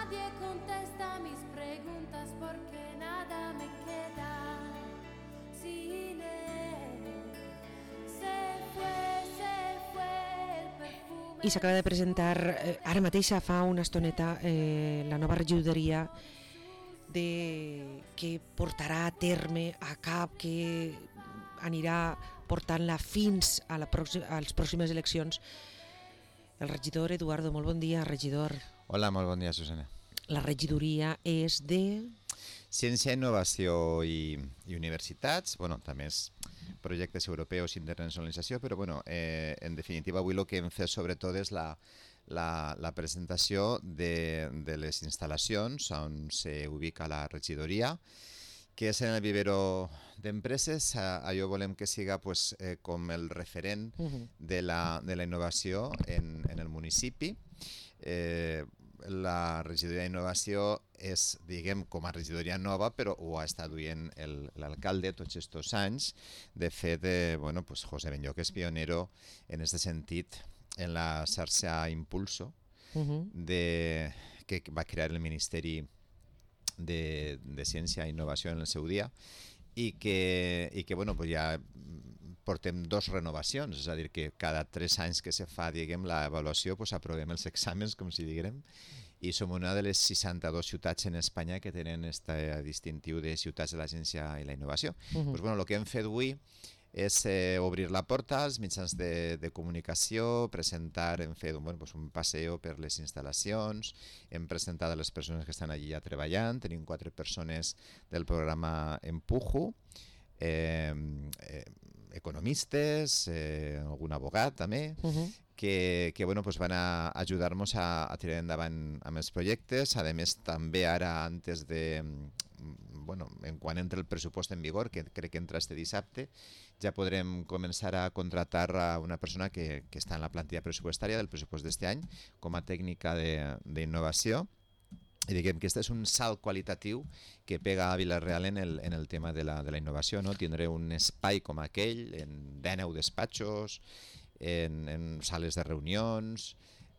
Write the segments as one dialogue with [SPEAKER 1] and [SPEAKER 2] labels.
[SPEAKER 1] Nadie contesta mis preguntas porque nada me queda sin él. Se fue el perfume.
[SPEAKER 2] I s'acaba de presentar ara mateix, fa una estoneta, la nova regidoria que portarà a terme a cap, que anirà portant-la fins a les pròximes eleccions. El regidor Eduardo, molt bon dia, regidor.
[SPEAKER 3] Hola, molt bon dia, Susana.
[SPEAKER 2] La regidoria és de...
[SPEAKER 3] Ciència, innovació i universitats, bueno, també és projectes europeus i internacionalització, però bueno, en definitiva avui el que hem fet sobretot és la presentació de les instal·lacions on s'ubica la regidoria, que és en el vivero d'empreses. Allò volem que siga pues, com el referent de la innovació en el municipi. La regidoria d'innovació és, diguem, com a regidoria nova, però ho ha estat duent l'alcalde tots aquests anys. De fet, bueno, pues José Benlloc és pionero en aquest sentit en la xarxa Impulso que va crear el Ministeri de Ciència i Innovació en el seu dia i que bueno, pues ja portem 2 renovacions, és a dir, que cada 3 anys que se fa, diguem, l'avaluació, pues aprovem els exàmens, com si diguem, i som una de les 62 ciutats en Espanya que tenen aquest distintiu de ciutats de la ciència i la innovació. Pues bueno, el que hem fet avui és obrir la porta als mitjans de comunicació, presentar, hem fet pues un passeo per les instal·lacions, hem presentat a les persones que estan allí ja treballant, tenim 4 persones del programa Empujo, economistes, algun abogat també, que bueno, pues van a ajudar-nos a tirar endavant amb els projectes. A més, també ara, antes de... Bueno, en quan entra el pressupost en vigor, que crec que entra este dissabte, ja podrem començar a contratar a una persona que està en la plantilla pressupostària del pressupost d'este any com a tècnica d'innovació. I diguem que este és un salt qualitatiu que pega a Vila-real en el tema de la innovació, no? Tindré un espai com aquell, en 19 despatxos, en sales de reunions,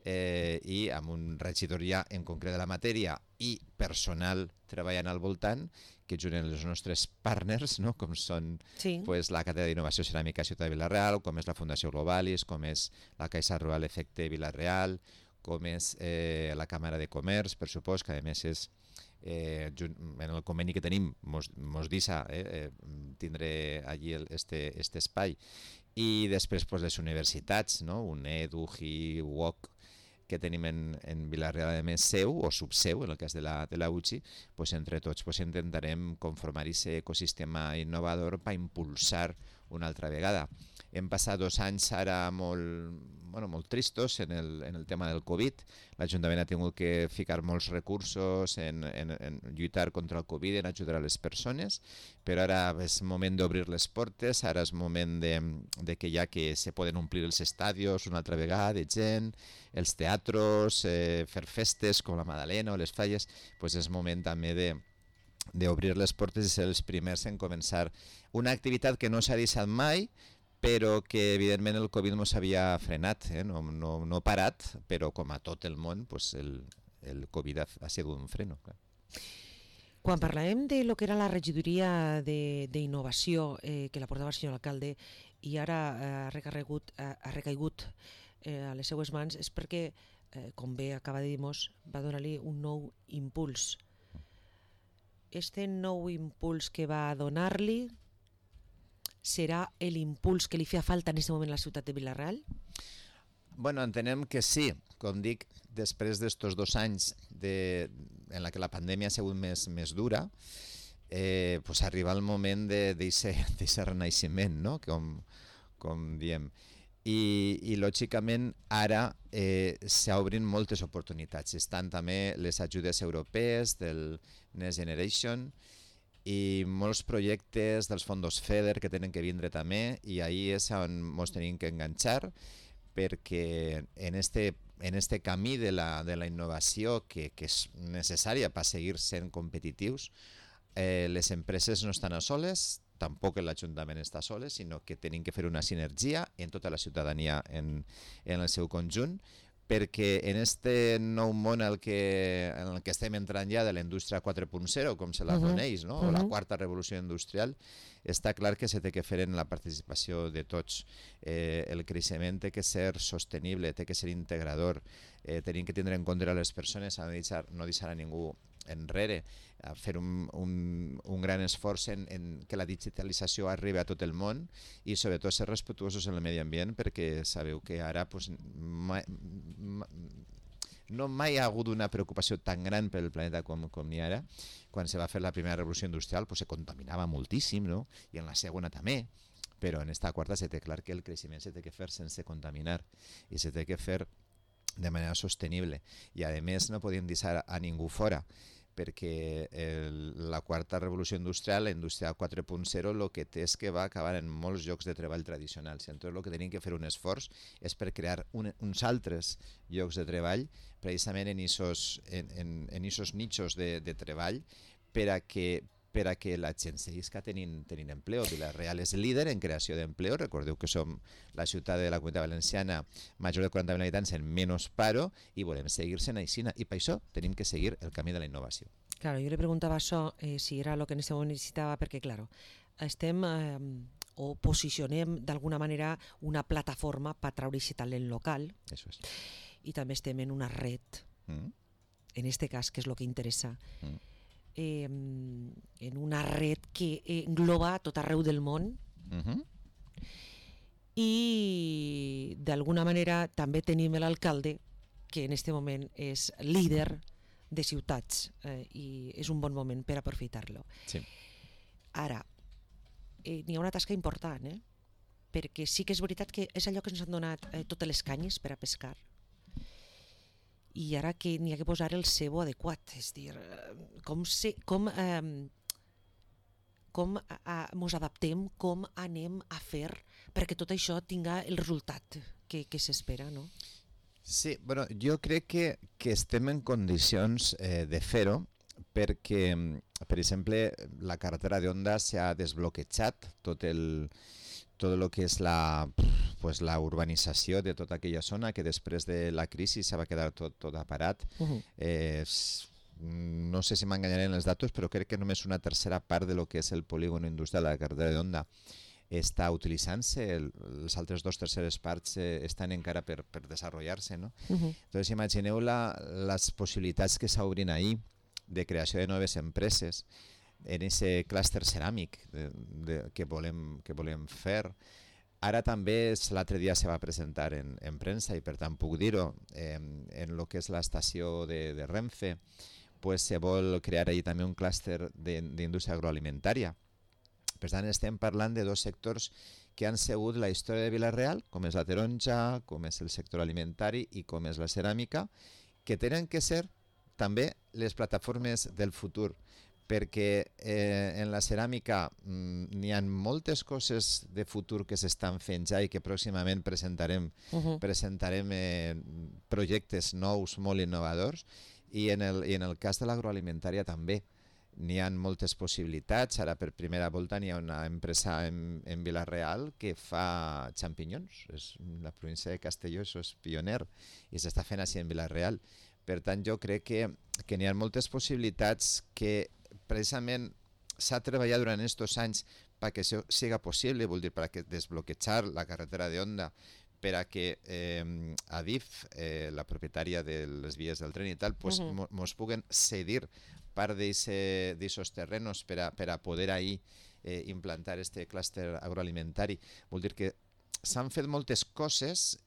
[SPEAKER 3] i amb un regidoria en concret de la matèria i personal treballant al voltant, que junt els nostres partners, no? Com són pues, la Càtedra d'Innovació Ceràmica Ciutat de Vila-real, com és la Fundació Globalis, com és la Caixa Rural Efecte Vila-real, com és la Càmera de Comerç, per supost, que a més és en el conveni que tenim mos deixa tindre allí este espai. I després pues, les universitats, no? UNED, UGI, UOC, que tenim en Vila-real, a més seu o subseu, en el cas de la UGI, pues, entre tots pues, intentarem conformar aquest ecosistema innovador per impulsar una altra vegada. Hem passat 2 anys ara molt tristos en el tema del Covid. L'Ajuntament ha tingut que ficar molts recursos en lluitar contra el Covid, en ajudar a les persones, però ara és moment d'obrir les portes, ara és moment de que ja que se poden omplir els estadios una altra vegada de gent, els teatros, fer festes com la Madalena o les Falles, pues és moment també d'obrir les portes i ser els primers en començar una activitat que no s'ha deixat mai, però que evidentment el Covid no s'havia frenat, no parat, però com a tot el món pues el Covid ha sigut un freno. Clar.
[SPEAKER 2] Quan parlàvem de lo que era la regidoria d'innovació que la portava el senyor alcalde i ara ha recaigut a les seues mans, és perquè, com bé acaba de dir-nos, va donar-li un nou impuls. Este nou impuls que va donar-li serà l'impuls que li feia falta en aquest moment a la ciutat de Vila-real?
[SPEAKER 3] Bueno, entenem que sí. Com dic, després d'estos 2 anys en la que la pandèmia ha sigut més dura, pues arriba el moment d'aquest renaixement, no? Com diem. I lògicament ara s'obrin moltes oportunitats. Estan també les ajudes europees del Next Generation i molts projectes dels fondos FEDER que tenen que vindre també, i ahí és on ens tenim que enganxar, perquè en este camí de la innovació que és necessària per seguir sent competitius, les empreses no estan a soles, tampoc l'Ajuntament està soles, sinó que tenim que fer una sinergia en tota la ciutadania en el seu conjunt perquè en este nou món en el que estem entrant ja de la indústria 4.0, com se la coneix, no? O la quarta revolució industrial, està clar que se té que fer en la participació de tots. El creixement té que ser sostenible, té que ser integrador, tenim que tindre en compte les persones, no deixar a ningú enrere, a fer un gran esforç en que la digitalització arribi a tot el món i sobretot ser respetuosos amb el medi ambient, perquè sabeu que ara pues, mai ha hagut una preocupació tan gran per el planeta com n'hi ha ara. Quan se va fer la primera revolució industrial pues, se contaminava moltíssim, no? I en la segona també, però en esta quarta se té clar que el creixement se té que fer sense contaminar i se té que fer de manera sostenible, i a més no podíem deixar a ningú fora, perquè la quarta revolució industrial, la indústria 4.0, el que té és que va acabar en molts llocs de treball tradicionals. Entonces, el que tenim que fer un esforç és per crear uns altres llocs de treball, precisament en aquests nichos de treball, per a que la gent seguisca tenint empleo. Vila-real és líder en creació d'empleo. Recordeu que som la ciutat de la Comunitat Valenciana major de 40.000 habitants en menys paro i volem seguir-se en aixina. I per això tenim que seguir el camí de la innovació.
[SPEAKER 2] Claro, jo le preguntava això, si era el que en aquest moment necessitava, perquè, claro, estem o posicionem d'alguna manera una plataforma per treure aquest talent local.
[SPEAKER 3] Eso es.
[SPEAKER 2] I també estem en una red, en este cas, que és el que interessa, en una red que engloba tot arreu del món i d'alguna manera també tenim l'alcalde que en aquest moment és líder de ciutats i és un bon moment per aprofitar-lo.
[SPEAKER 3] Sí.
[SPEAKER 2] Ara, n'hi ha una tasca important, perquè sí que és veritat que és allò que ens han donat totes les canyes per a pescar, i ara que n'hi ha que posar el cebo adequat, és dir, com ens adaptem, com anem a fer perquè tot això tinga el resultat que s'espera, no?
[SPEAKER 3] Sí, bueno, jo crec que estem en condicions de fer-ho perquè, per exemple, la carretera d'Onda s'ha desbloquejat tot el que és la urbanització de tota aquella zona que després de la crisi se va quedar tot aparat. No sé si m'enganyaré en els datos, però crec que només una tercera part de lo que és el polígon industrial de la carretera d'Onda està utilitzant-se, les altres 2/3 parts estan encara per desenvolupar-se, no? Entonces imagineu les possibilitats que s'obrin ahir de creació de noves empreses en aquest clúster ceràmic que volem fer. Ara també l'altre dia se va presentar en premsa i per tant puc dir-ho, en el que és l'estació de Renfe, pues se vol crear allí també un clúster d'indústria agroalimentària. Per tant estem parlant de dos sectors que han sigut la història de Vila-real, com és la taronja, com és el sector alimentari i com és la ceràmica, que tenen que ser també les plataformes del futur, perquè en la ceràmica n'hi ha moltes coses de futur que s'estan fent ja i que pròximament presentarem projectes nous molt innovadors, i en el cas de l'agroalimentària també n'hi ha moltes possibilitats. Ara per primera volta n'hi ha una empresa en Vila-real que fa xampinyons. La província de Castelló és pioner i s'està fent així en Vila-real. Per tant, jo crec que n'hi ha moltes possibilitats que precisament s'ha treballat durant aquests anys perquè això siga possible, vol dir, per desbloquejar la carretera d'Onda, per a que Adif, la propietària de les vies del tren i tal, ens puguen cedir part d'aquests terrenos per a poder ahir implantar aquest clúster agroalimentari. Vol dir que s'han fet moltes coses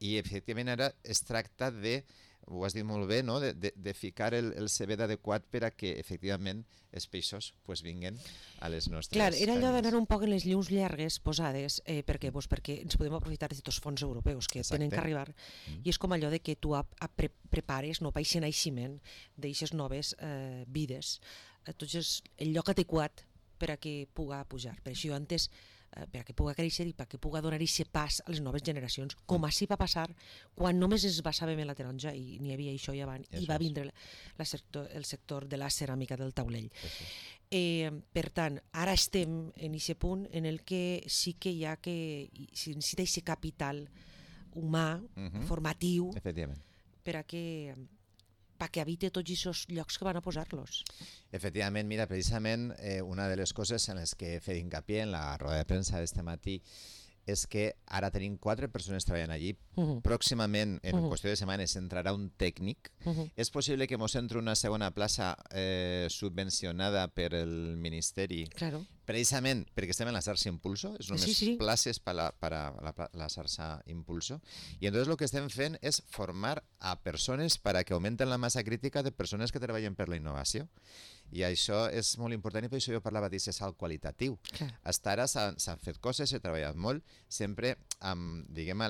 [SPEAKER 3] i efectivament ara es tracta de, ho has dit molt bé, no? de ficar el cebet adequat per a que efectivament els peixos vinguen a les nostres...
[SPEAKER 2] Clar, era allò d'anar un poc en les llums llargues posades, perquè ens podem aprofitar de tots els fons europeus que tenen que arribar, i és com allò de que tu prepares per aquest naixement d'aixes noves vides. Entonces, el lloc adequat per a que puga pujar. Per això jo antes, per a que puga créixer i per a que puga donar aquest pas a les noves generacions, com així va passar quan només es basàvem en la taronja i n'hi havia això i abans, i va vindre el sector de la ceràmica del taulell. Per tant, ara estem en aquest punt en el que sí que hi ha que, si necessita aquest capital humà, formatiu,
[SPEAKER 3] Efectivament.
[SPEAKER 2] perquè habite tots aquests llocs que van a posar-los.
[SPEAKER 3] Efectivament, mira, precisament una de les coses en les que he fet hincapié en la roda de premsa d'este matí és que ara tenim 4 persones treballant allí. Pròximament, en qüestió de setmanes, entrarà un tècnic. És possible que mos entri una segona plaça subvencionada per el Ministeri,
[SPEAKER 2] Claro.
[SPEAKER 3] precisament perquè estem en la xarxa Impulso, és només
[SPEAKER 2] Sí.
[SPEAKER 3] places per la xarxa Impulso. I entonces lo que estem fent és formar a persones para que augmenten la massa crítica de persones que treballen per la innovació. I això és molt important i per això jo parlava d'aquest salt qualitatiu.
[SPEAKER 2] Clar.
[SPEAKER 3] Fins ara s'han fet coses, s'ha treballat molt, sempre amb, diguem,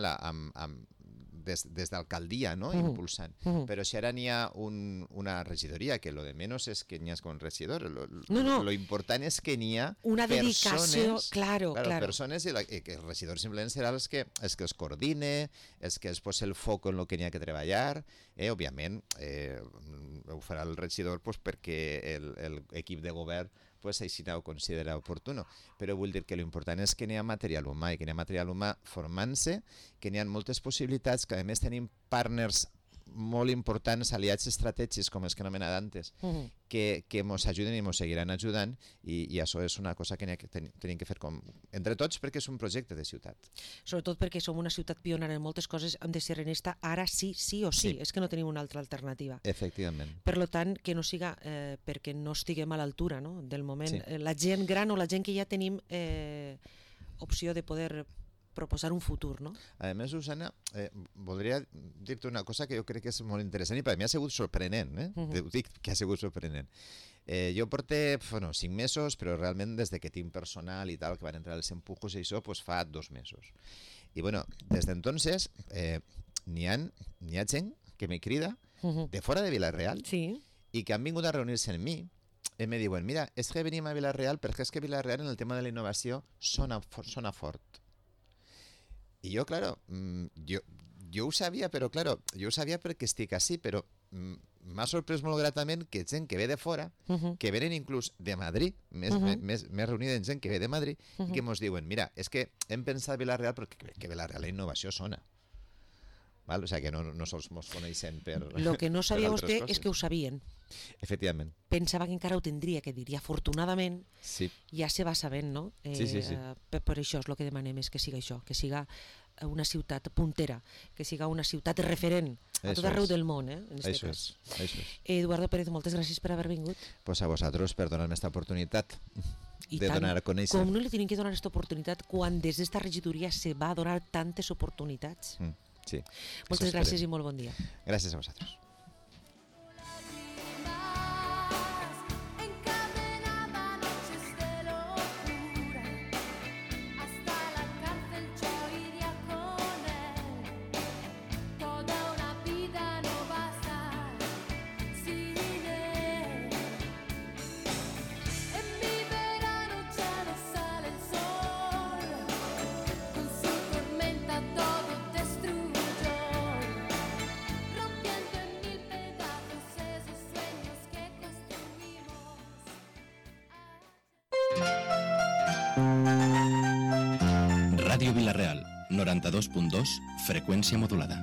[SPEAKER 3] des d'alcaldia, no? Impulsant. Però si ara n'hi ha una regidoria, que lo de menos és que n'hi ha con regidor, lo important és que n'hi ha
[SPEAKER 2] una dedicació,
[SPEAKER 3] persones,
[SPEAKER 2] claro.
[SPEAKER 3] persones i que el regidor simplement serà els que es coordine, els que es posa el foc en el que n'hi ha que treballar. Òbviament, ho farà el regidor pues, perquè l'equip de govern pues, així ho considera oportuno. Però vull dir que l'important és que n'hi ha material humà i que n'hi ha material humà formant-se, que n'hi ha moltes possibilitats, que a més tenim partners molt importants, aliats estratègics, com els que he anomenat antes, que ens ajuden i ens seguiran ajudant, i això és una cosa que tenim que fer entre tots perquè és un projecte de ciutat.
[SPEAKER 2] Sobretot perquè som una ciutat pionera en moltes coses, hem de ser en esta ara sí o sí. És que no tenim una altra alternativa.
[SPEAKER 3] Efectivament.
[SPEAKER 2] Per tant, que no siga perquè no estiguem a l'altura, no? Del moment.
[SPEAKER 3] Sí.
[SPEAKER 2] La gent gran o la gent que ja tenim opció de poder proposar un futur, no?
[SPEAKER 3] A més, Susana, voldria dir-te una cosa que jo crec que és molt interessant i per mi ha sigut sorprenent, Ho dic que ha sigut sorprenent. Jo porté 5 mesos, però realment des de que tinc personal i tal, que van entrar els empujos i això, pues fa 2 mesos. I bueno, des d'entonces n'hi ha gent que me crida de fora de Vila-real i que han vingut a reunir-se amb mi i me diuen, mira, és que venim a Vila-real perquè és que Vila-real en el tema de la innovació sona fort. I jo, claro, jo ho sabia, però claro, jo ho sabia perquè estic així, però m'ha sorprès molt gratament que gent que ve de fora, que venen inclús de Madrid, més reunida en gent que ve de Madrid, i que ens diuen, mira, és que hem pensat Vila-real perquè que Vila-real la innovació sona. Val? O sigui que no sols ens coneixen per...
[SPEAKER 2] Lo que no sabia vostè és que ho sabien.
[SPEAKER 3] Efectivament.
[SPEAKER 2] Pensava que encara ho tindria que dir, i afortunadament ja se va sabent, no?
[SPEAKER 3] Sí.
[SPEAKER 2] Per això és el que demanem, és que siga això, que siga una ciutat puntera, que siga una ciutat referent a tot arreu del món, en aquest cas.
[SPEAKER 3] Això és.
[SPEAKER 2] Eduardo Pérez, moltes gràcies per haver vingut.
[SPEAKER 3] Pues a vosaltres per donar-me aquesta oportunitat
[SPEAKER 2] I
[SPEAKER 3] de donar a conèixer.
[SPEAKER 2] Com no li tenim que donar aquesta oportunitat quan des d'esta regidoria se va donar tantes oportunitats?
[SPEAKER 3] Sí.
[SPEAKER 2] Moltes gràcies i molt bon dia.
[SPEAKER 3] Gràcies a vosaltres.
[SPEAKER 4] Ràdio Vila-real, 92.2, freqüència modulada.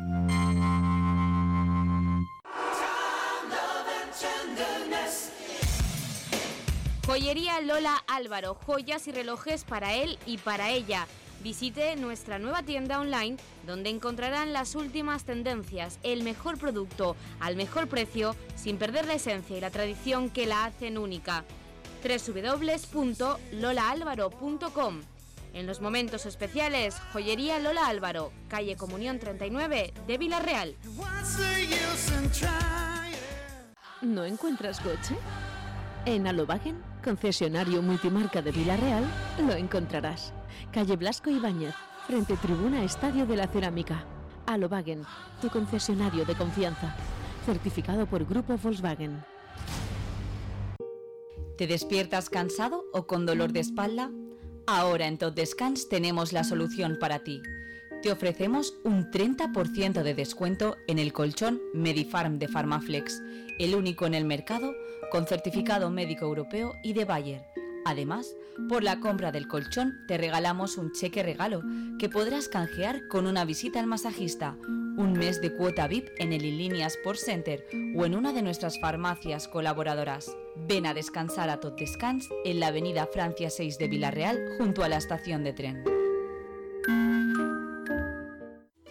[SPEAKER 5] Joyería Lola Álvaro, joyas y relojes para él y para ella. Visite nuestra nueva tienda online donde encontrarán las últimas tendencias, el mejor producto al mejor precio, sin perder la esencia y la tradición que la hacen única. www.lolaalvaro.com. En los momentos especiales, Joyería Lola Álvaro, calle Comunión 39 de Vila-real.
[SPEAKER 6] ¿No encuentras coche? En Alobagen, concesionario multimarca de Vila-real, lo encontrarás. Calle Blasco Ibáñez, frente Tribuna Estadio de la Cerámica. Alobagen, tu concesionario de confianza. Certificado por Grupo Volkswagen.
[SPEAKER 7] ¿Te despiertas cansado o con dolor de espalda? Ahora en Tot Descans tenemos la solución para ti. Te ofrecemos un 30% de descuento en el colchón Medifarm de Pharmaflex, el único en el mercado con certificado médico europeo y de Bayer. Además, Por la compra del colchón te regalamos un cheque regalo que podrás canjear con una visita al masajista, un mes de cuota VIP en el Inlínea Sports Center o en una de nuestras farmacias colaboradoras. Ven a descansar a Tot Descans en la avenida Francia 6 de Vila-real junto a la estación de tren.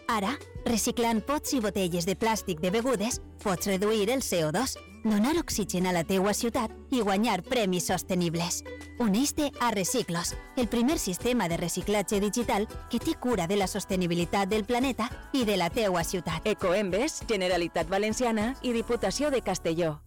[SPEAKER 8] Ara, reciclant pots i botelles de plàstic de begudes, pots reduir el CO2, donar oxigen a la teua ciutat i guanyar premis sostenibles. Uneix-te a Reciclos, el primer sistema de reciclatge digital que té cura de la sostenibilitat del planeta i de la teua ciutat.
[SPEAKER 9] Ecoembes, Generalitat Valenciana i Diputació de Castelló.